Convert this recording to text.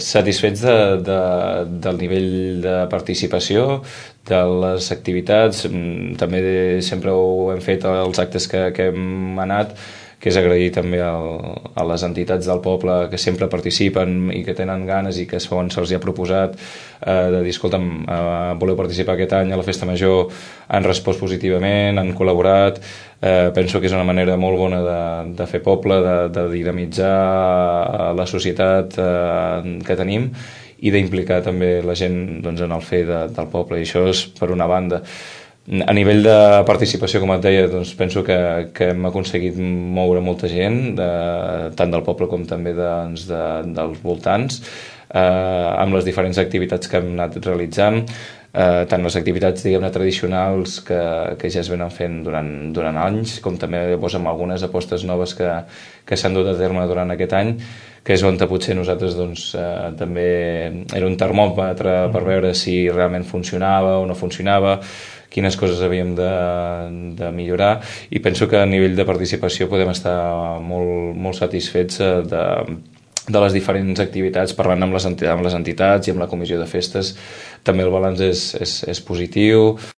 Satisfets del nivell de participació, de les activitats. També sempre ho hem fet als actes que hem anat, que és agrair també a les entitats del poble que sempre participen i que tenen ganes i que se'ls ha proposat de dir, escolta'm, voleu participar aquest any a la Festa Major, han respost positivament, han col·laborat. Penso que és una manera molt bona de fer poble, de dinamitzar la societat que tenim i d'implicar també la gent en el fer del poble, i això és per una banda. A nivell de participació, com et deia, penso que hem aconseguit moure molta gent, tant del poble com també dels voltants, amb les diferents activitats que hem anat realitzant, tant les activitats, diguem-ne, tradicionals que ja es venen fent durant anys, com també amb algunes apostes noves que s'han dut a terme durant aquest any, que és on potser nosaltres també era un termòmetre per veure si realment funcionava o no funcionava, quines coses havíem de millorar, i penso que a nivell de participació podem estar molt satisfets de les diferents activitats. Parlant amb les entitats i amb la comissió de festes, també el balanç és positiu.